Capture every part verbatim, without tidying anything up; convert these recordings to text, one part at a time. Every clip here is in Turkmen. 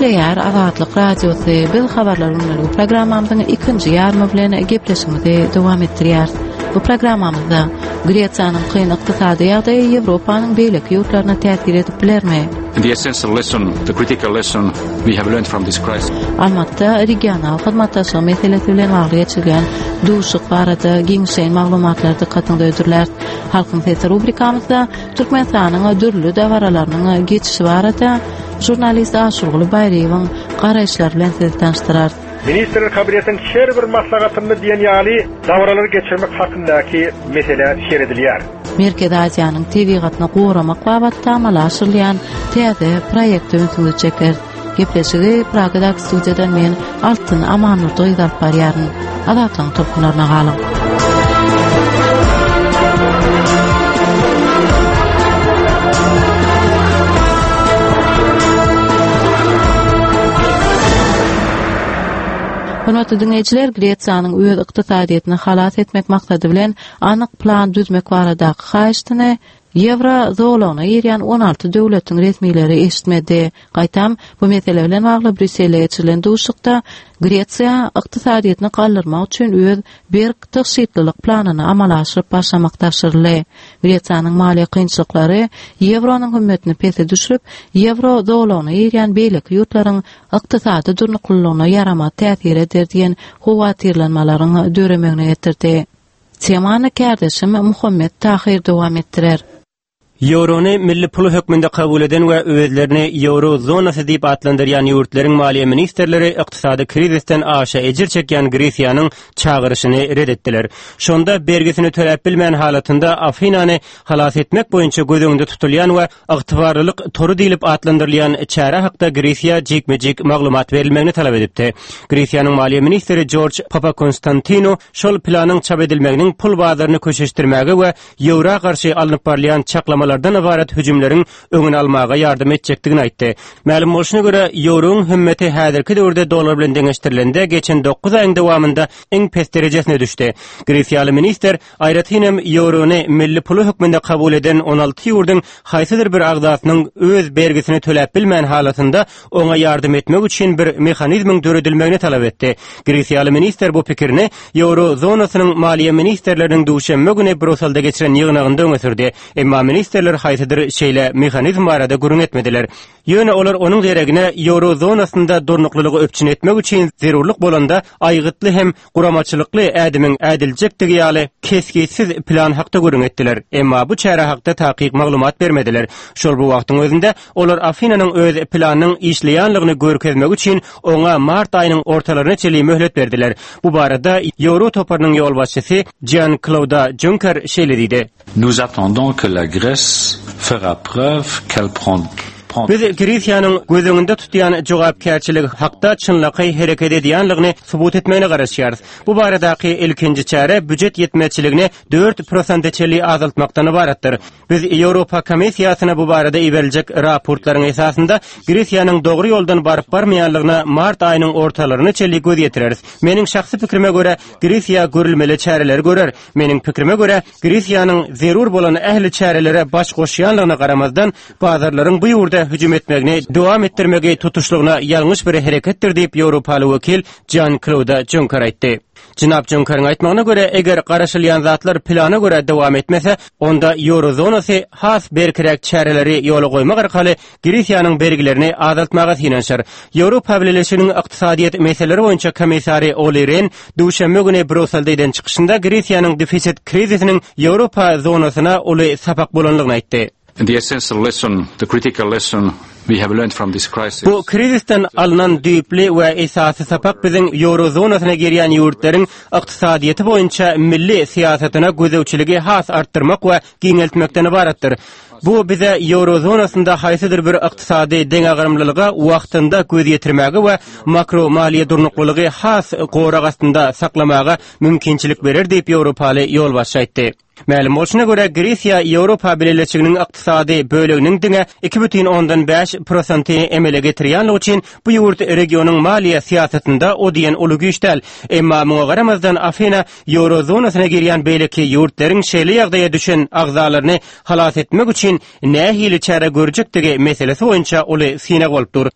Gepleýär Azatlyk Radiosy. Biz habarlar günlügi programmamyzyň ikinji ýarymy bilen gepleşigimizi dowam etdirýäris. Bu programmamyzda Gresiýanyň kyn ykdysady ýagdaýy Ýewropanyň beýleki ýurtlaryna täsir edip bilermi? The essential lesson, the critical lesson we have learned from this crisis. Almatda regional hyzmatdaşlyk meselesi bilen bagly geçirilýän duşuşyk barada giňişleýin maglumatlar dykgatyňyza hödürläris. Halkyň sesi rubrikamyzda Türkmenistanyň dürli dabaralarynyň geçişi barada žurnalist Aşurguly Baýryýewiň garaýyşlary bilen sizi tanyşdyrarys. Ministrler Kabinetiniň her bir maslahatynda diýen ýaly dabaralary geçirmek hakyndaky mesele seredilýär. Merkezi Aziýanyň tebigatyny goramak babatda amala aşyrylýan täze proýekte ünsüňizi çekeris. Gepleşigi Pragadaky studiýadan men Altyn Amannurdy gyz alyp barýaryn. Azatlygyň tolkunlaryna galyň. Hormatly diňleýjiler, Gresiýanyň öz ykdysadyýetini halas etmek maksady bilen anyk plan düzmek baradaky haýyştyny Ýewro zolagyna girýän on alty döwletiň resmileri eşitmedi. Gaýtam, bu mesele bilen bagly Brýusselde geçirilen duşuşykda Gresiýa ykdysadyýetini galdyrmak üçin öz berk tygşytlylyk planyny amala aşyryp başlamak tabşyryldy. Gresiýanyň maliýe kynçylyklary ýewronyň hümmetini pese düşürip, ýewro zolagyna girýän beýleki ýurtlaryň ykdysady durnuklylygyna ýaramaz täsir eder diýen howatyrlanmalaryň döremegine getirdi. Temany kärdeşim Muhammet Tahyr dowam etdirer. Ýewrony milli puly hökmünde kabul eden we özlerini ýewro zonasy diýip atlandyrýan ýurtlaryň maliýe ministrleri ykdysady krizisden aşa ejir çekýän Gresiýanyň çagyryşyny red etdiler. Şonda bergisini töläp bilmän halatynda Afinany halas etmek boýunça göz öňünde tutulýan we ygtybarlylyk tory diýlip atlandyrylýan çäre hakda Gresiýa jikme-jik maglumat berilmegini talap edipdi. Gresiýanyň maliýe ministri Jorj Papakonstantinu şol planyň çap edilmeginiň pul bazaryny köşeşdirmäge we ýewro garşy alnyp barylýan çaklamalardan ybarat hüjümleriň öňüni almaga ýardam etjekdigini aýtdy. Mälim bolşuna görä, ýewroň hümmeti häzirki döwürde dollar bilen deňeşdirilende geçen dokuz aýyň dowamynda iň pes derejesine düşdi. Gresiýaly ministr aýratyn hem ýewrony milli puly hökmünde kabul eden on alty ýurduň haýsydyr bir agzasynyň öz bergisini töläp bilmän halatynda oňa ýardam etmek üçin bir mehanizmiň döredilmegini talap etdi. Gresiýaly ministr bu pikirini ýewro zonasynyň maliýe ministrleriniň duşenbe güni Bruselde geçiren ýygnagynda öňe sürdi. Emma ministrler haýsydyr şeýle mehanizm barada gürrüň etmediler. Ýöne olar onuň deregine ýewro zonasynda durnuklylygy üpjün etmek üçin zerurlyk bolanda aýgytly hem guramaçylykly ädimiň ädiljekdigi ýaly kesgitsiz plan hakda gürrüň etdiler. Emma bu çäre hakda takyk maglumat bermediler. Şol bu wagtyň özünde olar Afinanyň öz planynyň işleýänligini görkezmek üçin oňa mart aýynyň ortalaryna çenli möhlet berdiler. Bu barada Ýewro toparynyň ýolbaşçysy Jean-Claude Juncker şeýle diýdi. Nous attendons que la Grèce fera preuve qu'elle prend Biz Gresiýanyň göz öňünde tutýan jogapkärçiligi hakda çynlakaý hereket edýänligini subut etmegine garaşýarys. Bu baradaky ilkinji çäre büjet ýetmezçiligini dört prosente çenli azaltmakdan ybaratdyr. Biz Ýewropa Komissiýasyna bu barada iberiljek raportlaryň esasynda Gresiýanyň dogry ýoldan baryp barmaýanlygyna mart aýynyň ortalaryna çenli göz ýetireris. Meniň şahsy pikrime görä, Gresiýa görülmeli çäreleri görer. Meniň pikrime görä, Gresiýanyň zerur bolan ähli çärelere baş goşýanlygyna garamazdan, bazarlaryň bu ýurda hüjüm etmegini dowam etdirmegi tutuşlygyna ýalňyş bir hereketdir diýip Ýewropaly wekil Jean-Claude Juncker aýtdy. Jenap Junckeriň aýtmagyna görä, eger garaşylýan zatlar plana görä dowam etmese, onda ýewro zonasy has berkiräk çäreleri ýola goýmak arkaly Gresiýanyň bergilerini azaltmaga synanyşar. Ýewropa Bileleşiginiň ykdysadyýet meseleleri boýunça komissary Olli Rehn duşenbe güni Brýusselde eden çykyşynda Gresiýanyň defisit krizisiniň Ýewropa zonasyna uly sapak bolanlygyny aýtdy. The essential lesson, the critical lesson we have learned from this crisis. Bu krizisden alnan düýpli we esasy sapak biziň ýewro zonasyna girýän ýurtlaryň ykdysadyýeti boýunça milli syýasatyna gözegçiligi has artdyrmak we giňeltmekden ybaratdyr. Bu bize ýewro zonasynda haýsydyr bir ykdysady deňagramlylyga wagtynda göz ýetirmäge we makro maliýe durnuklylygy has gorag astynda saklamaga mümkinçilik berer diýip Ýewropaly ýolbaşçy aýtdy. Mälim bolşuna görä, Gresiýa Ýewropa Bileleşiginiň ykdysady böleginiň diňe iki bütin ondan bäş prosenti emele getirýänligi üçin bu ýurt regionyň maliýe syýasatynda o diýen uly güýç däl. Emma muňa garamazdan Afina ýewro zonasyna girýän beýleki ýurtlaryň şeýle ýagdaýa düşen agzalaryny halas etmek üçin nähili çäre görjekdigi meselesi boýunça uly synag bolup dur.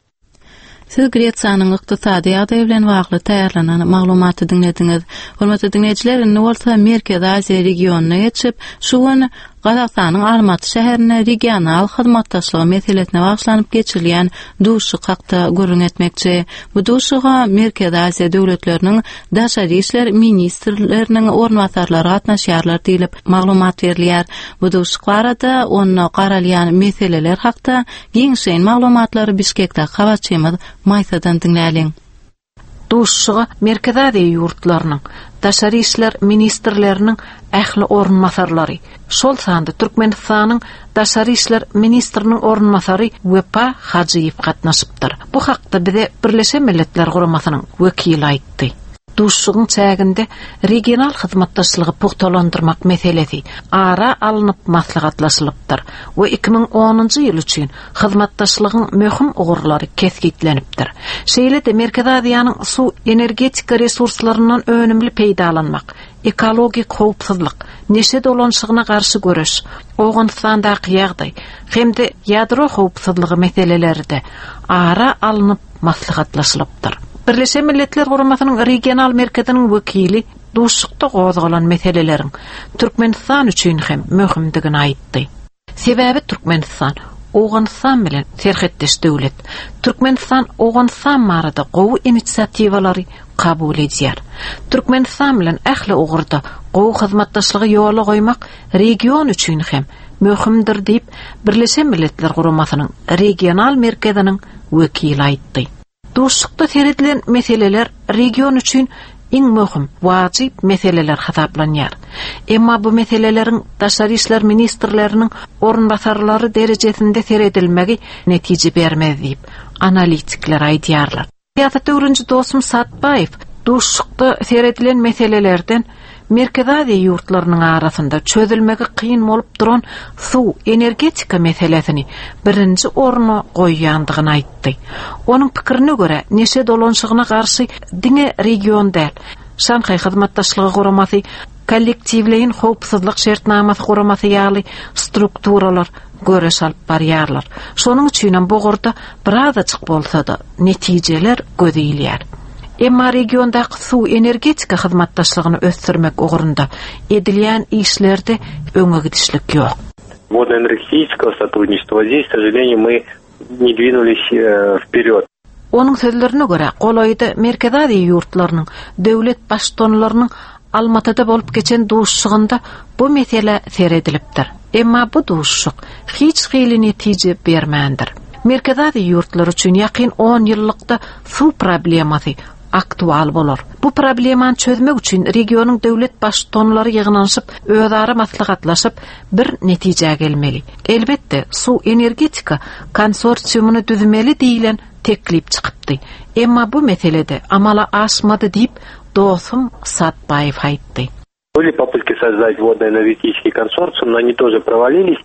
Siz Gresiýanyň ykdysady ýagdaýy bilen bagly taýýarlanan maglumaty diňlediňiz. Hormatly diňleýjiler, indi bolsa Merkezi Aziýa regionyna geçip, şu gün Gazagystanyň Almaty şäherinde regional hyzmatdaşlygy meselesine bagyşlanyp geçirilýän duşuşyk hakda gürrüň etmekçi. Bu duşuşyga Merkezi Aziýa döwletleriniň daşary işler ministrleriniň orunbasarlary gatnaşýarlar diýlip maglumat berilýär. Bu duşuşyk barada onda garalýan meseleler hakda giňişleýin maglumatlary Bişkekdäki habarçymyz Maýsadan diňläliň. Duşuşyga Merkezi Aziýa ýurtlarynyň daşary işler ministrleriniň ähli orunbasarlary, şol sanda Türkmenistanyň daşary işler ministriniň orunbasary Wepa Hajyýew gatnaşypdyr. Bu hakda bize Birleşen Milletler Guramasynyň wekili aýtdy. Duşuşygyň çäginde regional hyzmatdaşlygy pugtalandyrmak meselesi ara alnyp maslahatlaşylypdyr we iki müň onunjy ýyl üçin hyzmatdaşlygyň möhüm ugurlary kesgitlenipdir. Şeýle-de Merkezi Aziýanyň suw energetika resurslaryndan önümli peýdalanmak, ekologik howpsuzlyk, neşe dolanşygyna garşy göreş, Owganystandaky ýagdaý hem-de ýadro howpsuzlygy meseleleri-de ara alnyp maslahatlaşylypdyr. Birleşen Milletler Guramasynyň regional merkeziniň wekili duşuşykda gozgalan meseleleriň Türkmenistan üçin hem möhümdigini aýtdy. Sebäbi Türkmenistan Owganystan bilen serhetdeş döwlet. Türkmenistan Owganystan barada gowy inisiatiwalary kabul edýär. Türkmenistan bilen ähli ugurda gowy hyzmatdaşlygy ýola goýmak region üçin hem möhümdir diýip Birleşen Milletler Guramasynyň regional merkeziniň wekili aýtdy. Duşuşykda seredilen meseleler region üçin iň möhüm, wajyp meseleler hasaplanýar. Emma bu meseleleriň daşary işler ministrleriniň orunbasarlary derejesinde seredilmegi netije bermez diýip analitikler aýdýarlar. Syýasat öwreniji dostum Satbaýew duşuşykda seredilen meselelerden Merkezi Aziýa ýurtlarynyň arasynda çözülmegi kyn bolup duran suw energetika meselesini birinji orna goýýandygyny aýtdy. Onuň pikirine görä, neşe dolanşygyna garşy diňe region däl, Şanhaý hyzmatdaşlygy guramasy, kollektiwleýin howpsuzlyk şertnamasy guramasy ýaly strukturalar göreş alyp barýarlar. Şonuň üçin hem bu ugurda birazajyk bolsa-da netijeler göz ilýär. Emma regiondaky suw energetika hyzmatdaşlygyny ösdürmek ugrunda edilýän işlerde öňe gidişlik ýok. Водно-энергетического сотрудничества здесь, к сожалению, мы не двинулись, э, вперед. Onuň sözlerine görä, golaýda Merkezi Aziýa ýurtlarynyň döwlet baştutanlarynyň Almatyda bolup geçen duşuşygynda bu mesele seredilipdir. Emma bu duşuşyk hiç hili netije bermändir. Merkezi Aziýa ýurtlary üçin ýakyn on ýyllykda suw problemasy aktual bolar. Bu problemany çözmek üçin regionyň döwlet baştutanlary ýygnanyşyp, özara maslahatlaşyp bir netijä gelmeli. Elbetde, suw energetika konsorsiumyny düzmeli diýilen teklip çykypdy. Emma bu meselede amala aşmady diýip dostum Satbaýew aýtdy. Были попытки создать водно-энергетический консорциум, но они тоже провалились.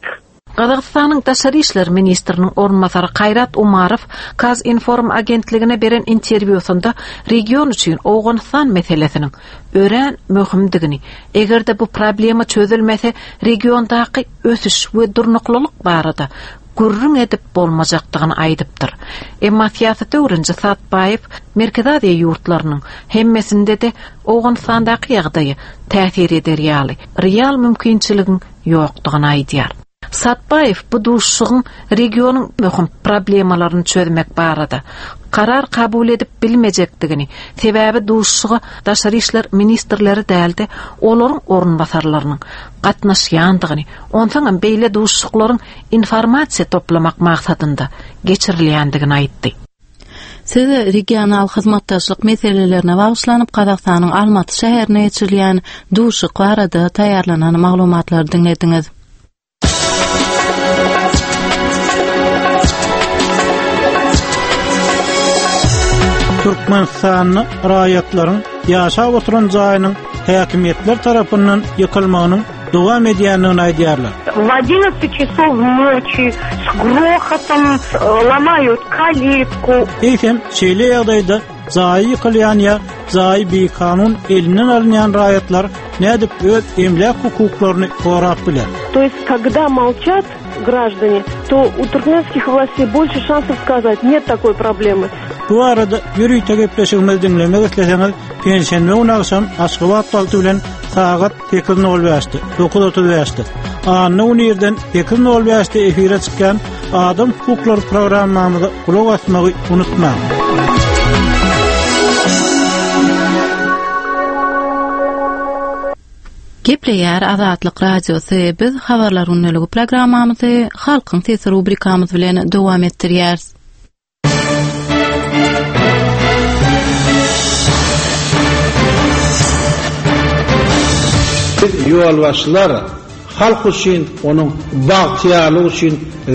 Gazagystanyň daşary işler ministriniň orunbasary Kaýrat Umarow Kazinform agentligine beren interwýusynda region üçin Owganystan meselesiniň örän möhümdigini, eger-de bu problema çözülmese regiondaky ösüş we durnuklylyk barada gürrüň edip bolmajakdygyny aýdypdyr. Emma syýasat öwreniji Satbaýew Merkezi Aziýa ýurtlarynyň hemmesinde-de Owganystandaky ýagdaýy täsir eder ýaly real mümkinçiligiň ýokdugyny aýdýar. Satbaýew bu duşuşygyň regionyň möhüm problemalaryny çözmek barada karar kabul edip bilmejekdigini, sebäbi duşuşyga daşary işler ministrleri däldi, olaryň orunbasarlarynyň gatnaşýandygyny, onsoň hem beýle duşuşyklaryň informasiýa toplamak maksadynda geçirilýändigini aýtdy. Siz regional hyzmatdaşlyk meselelerine bagyşlanyp Gazagystanyň Almaty şäherine geçirilýän duşuşyk barada taýýarlanan maglumatlary diňlediňiz. Türkmenistanly raýatlaryň ýaşap oturan jaýynyň häkimiýetler tarapyndan ýykylmagynyň dowam edýändigini aýdýarlar. В одиннадцать часов ночи с грохотом, э, ломают калитку. Eýsem, şeýle ýagdaýda jaýy ýykylýan ýa jaýy bikanun elinden alynýan raýatlar nädip öz emläk hukuklaryny gorap biler? То есть, когда молчат, граждане, то у туркменских властей больше шансов сказать, нет такой проблемы. Bu arada ýörite gepleşigimizi diňlemek isleseňiz, penşenbe güni agşam Aşgabat wagty bilen sagat sekiz nol bäşde, dokuz otuz bäşde, anna güni irden sekiz nol bäşde efire çykýan Adam hukuklary programmamyza gulak asmagy unutmaň. Gepleýär Azatlyk Radiosy. Biz habarlar günlügi programmamyzy Halkyň sesi rubrikamyz bilen dowam etdirýäris. Biz ýolbaşçylar halk üçin, onuň bagtyýarlygy üçin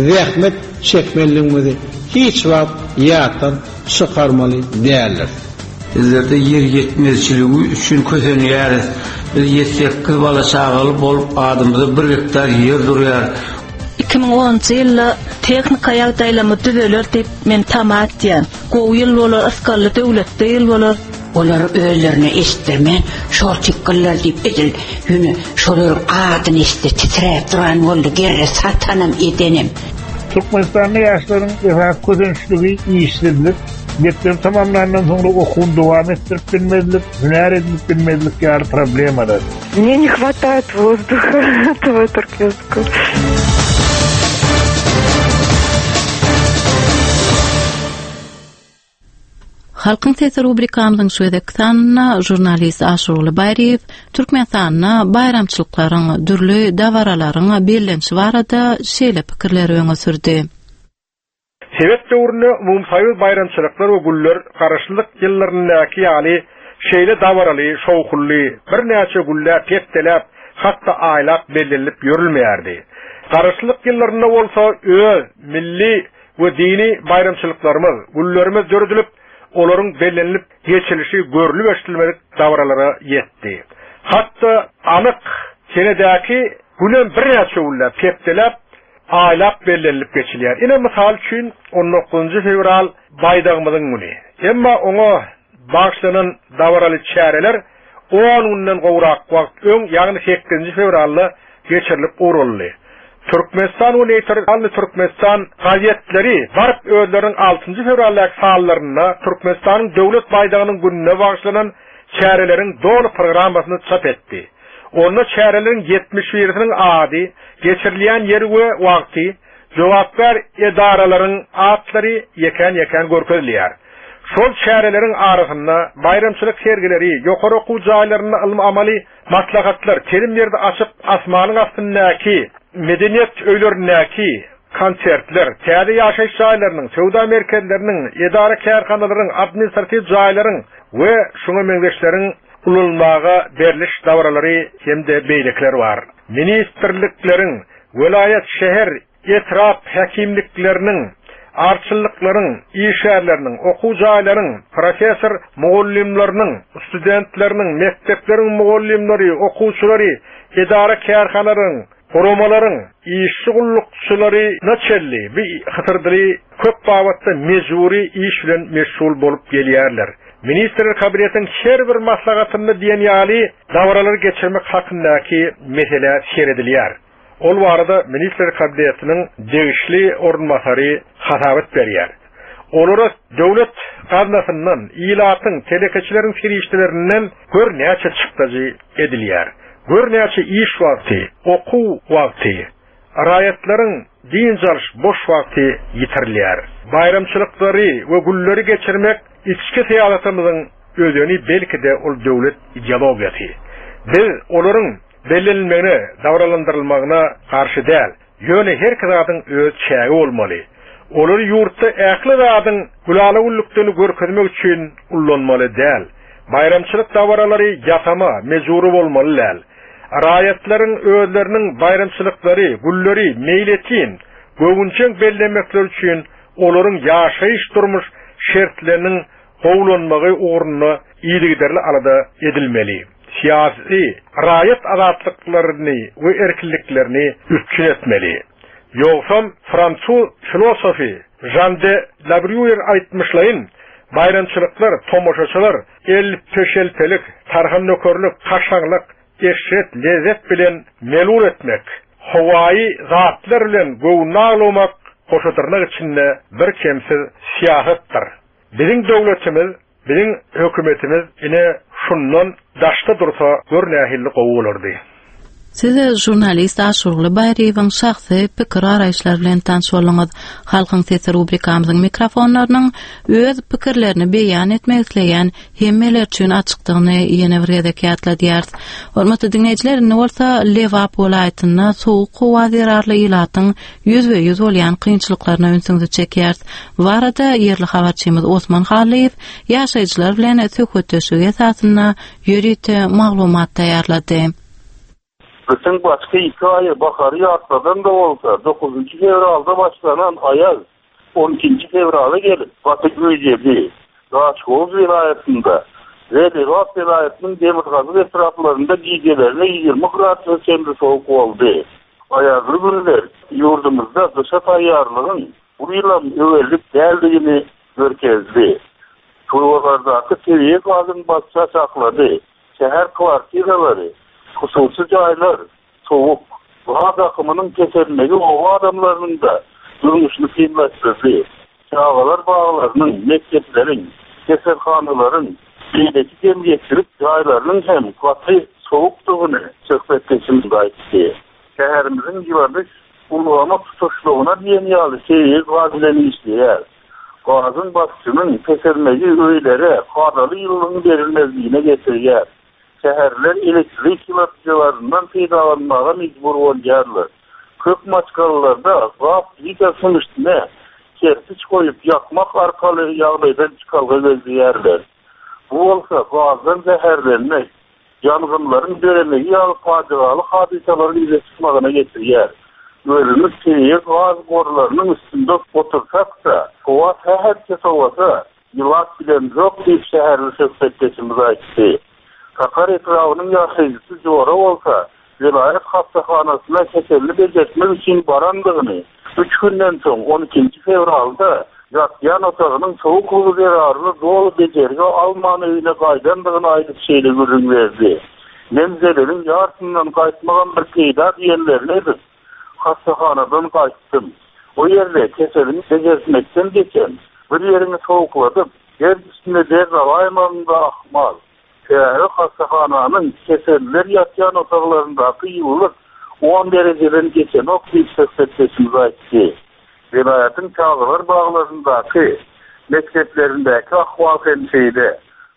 zähmet çekmeliligimizi hiç wagt ýatdan çykarmaly däldir. Bizlerde ýer ýetmezçiligi üçin kösenýäris. Biz ýetsekiz bala çagaly bolup adymyza bir gektar ýer durýar. Iki müň onunjy ýylda tehnika ýagdaýlamy düzeler diýip men tama etýän. Gowy ýyl bolar, ysgally döwletde ýyl bolar. Olar özlerine eşitdirmän, şol tikgiller diýip edil, ýöne şolaryň adyny eşitdi, titräp duran boldy, gerre satanam edenem. Türkmenistanly ýaşlaryň esas kösençligi işsizlik, mekdep tamamlandan soňra okuwyny dowam etdirip bilmezlik, hünär edinip bilmezlik ýaly problemalar. Мне не хватает воздуха этого туркменского. Halkyň sesi rubrikamyzyň şu gezek sanyna jurnalist Aşurly Baýryýew Türkmenistanda baýramçylyklaryň, dürli dabaralaryň bellenişi barada şeýle pikirleri öňe sürdi. Sebet döwründe umumsoýuz baýramçylyklar we güller garaşlyk ýyllaryndaky ýaly şeýle dabaraly, şowhully, birnäçe güller hepdeläp, hatda aýlap bellenilip ýörülmeýärdi. Garaşlyk ýyllarynda bolsa öz milli we dini baýramçylyklarymyz, güllerimiz döredilip, olaryň bellenilip geçilişi görülüp eşitilmedik dabaralara ýetdi. Hatda anyk senedäki günem birnäçe güller hepdeläp, aýlap bellenilip geçilýär. Ine mysal üçin on dokuzunjy fewral baýdagymyzyň güni. Emma oňa bagşlanan dabaraly çäreler on günden gowrak wagt öň, ýagny sekizinji fewralda geçirilip ugruldy. Türkmenistan we Neytralny Türkmenistan gazetleri baryp özleriniň altynjy fewraldaky sallarynda Türkmenistanyň döwlet baýdagynyň gününe bagşlanan çäreleriň doly programmasyny çap etdi. Onda çäreleriň ýetmiş birisiniň ady, geçirilýän ýeri we wagty, jogapkär edaralaryň atlary ýekän-ýekän görkezilýär. Şol çäreleriň arasynda baýramçylyk sergileri, ýokary okuw jaýlarynda ylmy-amaly maslahatlar, telim ýerde açyp asmanyň astyndaky medeniýet öýlerindäki konsertler, täze ýaşaýyş jaýlarynyň, söwda merkezleriniň, edara kärhanalaryň, administratiw jaýlaryň we şuňa meňzeşleriň ulanylmaga beriliş dabaralary hem-de beýlekler bar. Ministrlikleriň, welaýat, şäher, etrap häkimlikleriniň, arçyllyklaryň, işgärleriniň, okuw jaýlaryň, professor mugallymlarynyň, studentleriniň, mekdepleriň mugallymlary, okuwçylary, edara kärhanalaryň, guramalaryň, işçi gullukçylary naçelli bir hatyrdyly köp babatda mejburi iş bilen meşgul bolup gelýärler. Ministrler kabinetiniň her bir maslahatynda diýen ýaly dabaralary geçirmek hakyndaky mesele seredilýär. Ol barada Ministrler kabinetiniň degişli orunbasary hasabat berýär. Olara döwlet gaznasyndan, ilatyň, telekeçileriň serişdelerinden gör näçe çykdajy edilýär. Gör näçe iş wagty, okuw wagty, raýatlaryň dynç alyş boş wagty ýitirilýär. Baýramçylyklary we gülleri geçirmek içki syýasatymyzyň özeni belki de ol döwlet ideologiýasy. Biz olaryň bellenilmegine, dabaralandyrylmagyna garşy däl. Ýöne her zadyň öz çägi bolmaly. Olary ýurtda ähli zadyň gülala güllükdeni görkezmek üçin ullanmaly däl. Baýramçylyk dabaralary ýasama, mejbury bolmaly däl. Raýatlaryň özleriniň baýramçylyklary, gülleri meýletin, göwünçeň bellemekleri üçin olaryň ýaşaýyş durmuş şertleriniň gowulanmagy ugrunda yzygiderli alada edilmeli. Siyasi raýat azatlyklaryny we erkinliklerini üpjün etmeli. Ýogsam fransuz filosofi Jean de La Bruyère aýtmyşlaýyn, baýramçylyklar, tomaşaçylar, el peşelpelik, tarhan nökerlik, kaşaňlyk, eşret, lezzet bilen melul etmek, Howaýy zatlar bilen göwün aglamak goşa dyrnak içinde bir kemsiz syýasatdyr. Biziň döwletimiz, biziň hökümetimiz ine şundan daşda dursa gör nähili gowy bolardy. Siz žurnalist Aşurgly Baýryýewiň şahsy pikir garaýyşlary bilen tanyş bolduňyz. Halkyň sesi rubrikamyzyň mikrofonlarynyň öz pikirlerini beýan etmek isleýän hemmeler üçin açykdygyny ýene bir gezek ýatladýarys. Hormatly diňleýjiler, indi bolsa Lebap welaýatynda sowuk howa zerarly ilatyň ýüzbe-ýüz bolýan kynçylyklaryna ünsüňizi çekýäris. Bu barada ýerli habarçymyz Osman Hallyýew ýaşaýjylar bilen söhbetdeşlik esasynda ýörite maglumat taýýarlady. Gyşyň başky iki aýy bahary ýatladan-da bolsa, dokuzynjy fewralda başlanan aýaz on ikinji fewrala gelip gaty güýjedi. Daşoguz welaýatynda we Lebap welaýatynyň demirgazyk etraplarynda gijelerine ýigrimi gradus'a çenli sowuk boldy. Aýazly günler ýurdumyzda gyşa taýýarlygyň bu ýylam öwerlik däldigini görkezdi. Turbalardaky tebigy gazyň basça saklady. Şäher kwartiralary, hususy jaýlar sowuk. Gaz akymynyň kesilmegi oba adamlarynyň da durmuşyny kynlaşdyrdy. Çagalar baglarynyň, mekdepleriň, keselhanalaryň, beýleki jemgyýetçilik jaýlarynyň hem gaty sowukdygyny söhbetdeşimiz aýtdy. Şäherimiziň ýyladyş ulgamy tutuşlygyna diýen ýaly tebigy gaz bilen işleýär. Gazyň basyşynyň peselmegi öýlere kadaly ýylylygyň berilmezligine getirýär. Şäherler elektrik ýyladyjylaryndan peýdalanmaga mejbur bolýarlar. Köp maşgalalarda gaz plitasynyň üstüne kerpiç goýup ýakmak arkaly ýagdaýdan çykalga gözleýärler. Bu bolsa gazdan zäherlenmek, ýangynlaryň döremegi ýaly pajygaly hadysalaryň ýüze çykmagyna getirýär. Özümiz tebigy gaz gorlarynyň üstünde otursak-da, howa sähelçe sowasa, ýylat bilen ýok diýip şäherli söhbetdeşimiz aýtdy. Sakar etrabynyň ýaşaýjysy Jora bolsa, welaýat hassahanasyna keselini bejertmek üçin barandygyny, üç günden soň on ikinji fewralda ýatýan otagynyň sowuklygy zerarly doly bejergi alman öýüne gaýdandygyny aýdyp şeýle gürrüň berdi. Men zeleliň ýarysyndan gaýtmagam bir peýda diýenlerini edip, hassahanadan gaýtdym. O ýerde keselini bejertmekden geçen bir ýerini sowukladyp, yer üstünde der alaýmagyň da ahmal. Şäher hassahananyň keseller ýatýan otaglaryndaky ýylylyk on derejeden geçenok diýip söhbetdeşimiz aýtdy. Welaýatyň çagalar baglaryndaky, mekdeplerindäki ahwal hem şeýle.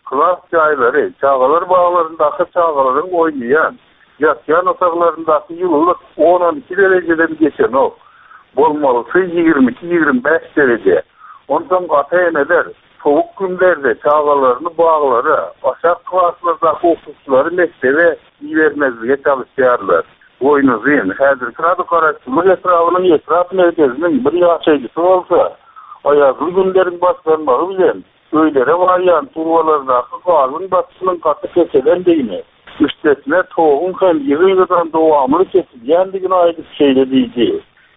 Klas jaýlary, çagalar baglaryndaky çagalaryň oýnaýan, ýatýan otaglaryndaky ýylylyk on-on iki derejeden geçenok. Bolmalysy ýigrimi iki-ýigrimi bäş dereje. Ondan ata-eneler sowuk günlerde çagalaryny baglara, aşak klaslardaky okuwçylary mekdebe ibermezlige çalışýarlar. Boýnuzyn, häzirki ady Garaşsyzlyk etrabynyň etrap merkeziniň bir ýaşaýjysy bolsa, aýazly günleriň başlanmagy bilen öýlere barýan turbalardaky gazyň basyşynyň gaty keselendigini, üstesine toguň hem ýygy-ýygydan dowamly kesilýändigini aýdyp şeýle diýdi.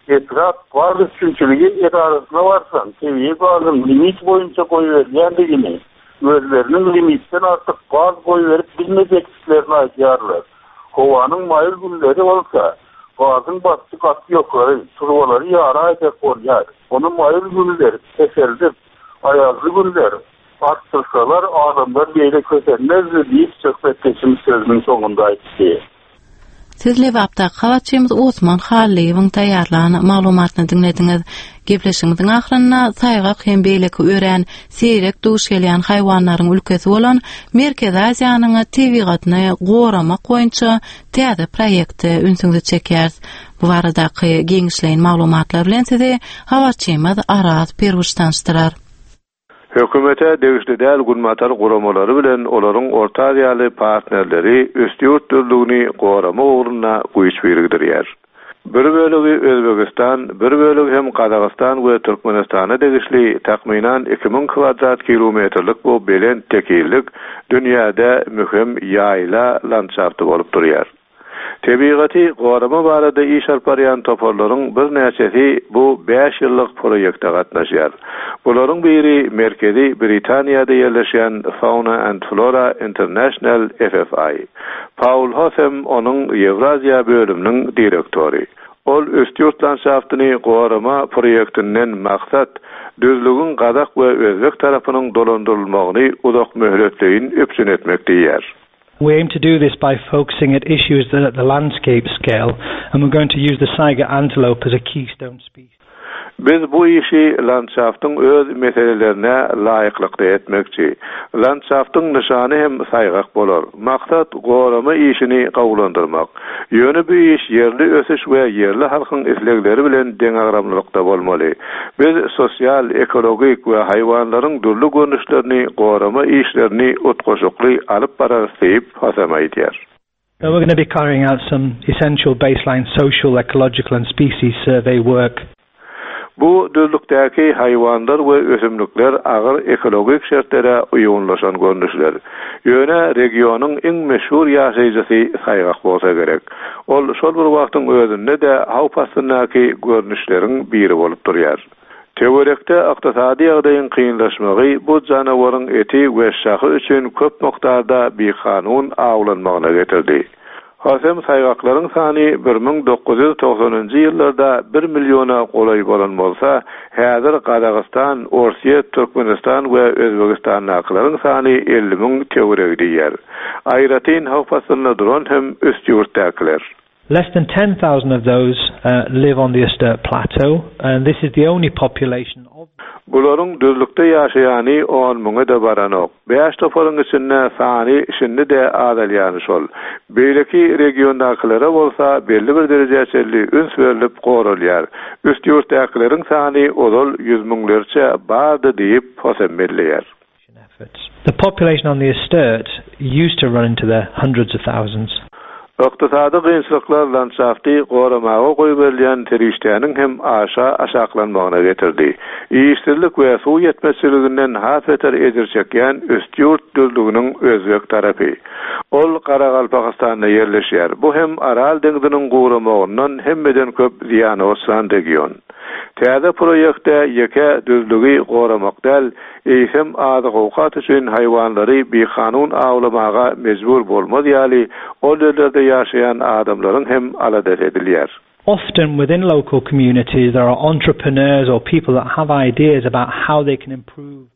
Etrap gaz üpjünçiligi edarasyna barsaň, tebigy gazyň limit boýunça goýberilýändigini, özleriniň limitden artyk gaz goýberip bilmejekdiklerini aýdýarlar. Howanyň maýyl günleri bolsa, gazyň basyşy gaty ýokary, turbalary ýaraýjak bolýar. Onu maýyl günler keseldip, aýazly günler artdyrsalar adamlar beýle kösenmezdi diýip söhbetdeşimiz sözüniň soňunda aýtdy. Siz Lebapdaky habarçymyz Osman Hallyýewiň taýýarlan maglumatyny diňlediňiz. Gepleşigimiziň ahyrynda saýgak hem beýleki örän seýrek duş gelýän haýwanlaryň ülkesi bolan Merkezi Aziýanyň tebigatyny goramak boýunça täze proýekte ünsüňizi çekýäris. Bu baradaky giňişleýin maglumatlar bilen sizi habarçymyz Araz Perwiş tanyşdyrar. Hökümete degişli däl günbatar guramalary bilen olaryň Orta Aziýaly partnerleri Üstýurt düzlügini goramak ugrunda güýç birikdirýär. Bir bölegi Özbegistan, bir bölegi hem Gazagystan we Türkmenistana degişli takmynan iki müň kvadrat kilometrlik bu belent tekizlik dünýäde möhüm ýaýla landşafty bolup durýar. Tebigaty gorama barada iş alyp barýan toparlaryň birnäçesi bu bäş ýyllyk proýekte gatnaşýar. Bularyň biri Merkezi Britaniýada ýerleşýän Fauna and Flora International F F I. Paul Hosem onuň Ýewraziýa bölüminiň direktory. Ol Üstýurt landşaftyny gorama proýektinden maksat düzlügiň gazak we özbek tarapynyň dolandyrylmagyny uzak möhletleýin üpjün etmek diýýär. We aim to do this by focusing at issues that at the landscape scale and we're going to use the saiga antelope as a keystone species. Biz bu işi landşaftyň öz meselelerine laýyklykda etmekçi. Landşaftyň nyşany hem saýgak bolar. Maksat gorama işini gowulandyrmak. Ýöne bu iş ýerli ösüş we ýerli halkyň islegleri bilen deňagramlylykda bolmaly. Biz sosial, ekologik we haýwanlaryň dürli görnüşlerini gorama işlerini utgaşykly alyp bararys diýip Hosem aýdýar. So we're going to be carrying out some essential baseline social, ecological and species survey work. Bu düzlükdäki haýwanlar we ösümlikler agyr ekologik şertlere uýgunlaşan görnüşler. Ýöne regionyň iň meşhur ýaşaýjysy saýgak bolsa gerek. Ol şol bir wagtyň özünde-de howp astyndaky görnüşleriň biri bolup durýar. Töwerekde ykdysady ýagdaýyň kynlaşmagy bu janawaryň eti we şahy üçin köp mukdarda bikanun awlanmagyna getirdi. Hosem saýgaklaryň sany bir müň dokuz ýüz togsanynjy ýyllarda bir milliona golaý bolan bolsa, häzir Gazagystan, Orsýet, Türkmenistan we Özbegistandakylaryň sany elli müň töweregi diýýär. Aýratyn howp astynda duran hem Üstýurtdakylar. Less than ten thousand of those live on the Ustyurt Plateau and this is the only population of Bularyň düzlükde ýaşaýany on müňe-de baranok. Bäş toparyň içinde sany şindi-de azalýany şol. Beýleki regiondakylara bolsa belli bir derejä çenli üns berlip goralýar. Üstýurtdakylaryň sany ozal ýüz müňlerçe bardy diýip Hosem belleýär. The population on the Ustyurt used to run into the hundreds of thousands. Ykdysady kynçylyklar landşafty goramaga goýberilýän serişdäniň hem aşa aşaklanmagyna getirdi. Işsizlik we suw ýetmezçiliginden has beter ejir çekýän Üstýurt düzlüginiň özbek tarapy. Ol Garagalpagystanda ýerleşýär. Bu hem Aral deňziniň guramagyndan hemmeden köp zyýana uçran region. Täze proýektde ýeke düzlügi goramak däl, eýsem azyk-owkat üçin haýwanlary bikanun awlamaga mejbur bolmaz ýaly ol ýerlerde ýaşaýan adamlaryň hem aladasy edilýär. Often within local communities there are entrepreneurs or people that have ideas about how they can improve.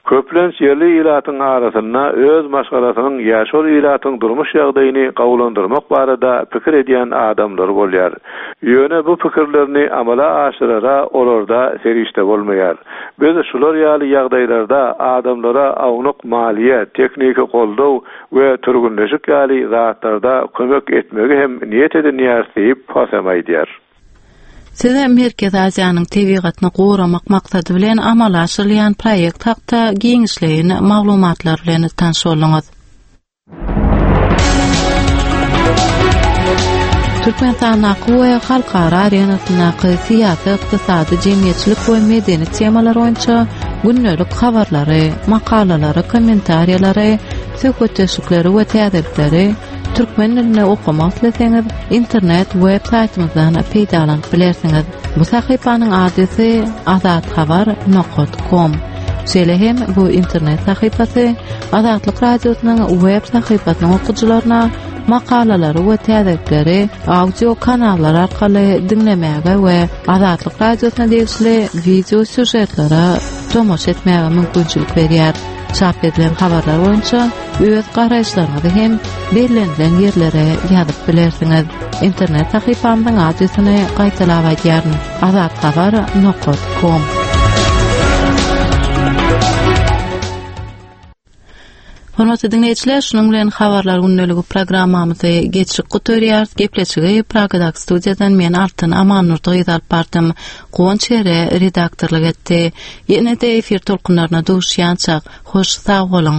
Köplenç ýerli ilatyň arasynda öz maşgalasynyň ýa şol ilatyň durmuş ýagdaýyny gowulandyrmak barada pikir edýän adamlar bolýar. Ýöne bu pikirlerini amala aşyrara olarda serişde bolmaýar. Biz şular ýaly ýagdaýlarda adamlara awnuk maliýe, tehniki goldaw we türgünleşik ýaly zatlarda kömek etmegi hem niýet edinýär diýip Hosem aýdýar. Size Merkezi Aziýanyň tebigatyny goramak maksady bilen amala aşyrylýan proýekt hakda giňişleýin maglumatlar bilen tanyş bolduňyz. Türkmenistandaky we halkara arenasyndaky syýasy, ykdysady, jemgyýetçilik we medeni temalar boýunça gündelik habarlary, makalalary, kommentariýalary, söhbetdeşlikleri we täzelikleri türkmen dilinde okamak isleseňiz, internet web saýtymyzdan peýdalanyp bilersiňiz. Bu sahypanyň adresi azathabar nokta com. Şeýle hem bu internet sahypasy Azatlyk Radiosynyň web sahypasynyň okyjylaryna makalalary we täzelikleri audio kanallar arkaly diňlemäge we Azatlyk Radiosyna degişli video sýužetlere tomaşa etmäge mümkinçilik berýär. Çap edilen habarlar boýunça öz garaýyşlaryňyzy hem bellenilen ýerlere ýazyp bilersiňiz. Internet sahypamyzyň adresini gaýtalap aýdýaryn: azathabar nokta com. Hormatly dinleýjiler, şunuň bilen habarlar gündeligi programmamyzy geçirip gutarýarys. Gepleşigi Pragadaky studiýadan men Altyn Amannurdy gyz alyp bardym. Guwanç Ere redaktorlyk etdi. Ýene-de efir tolkunlaryna duşýançak, hoş sag boluň.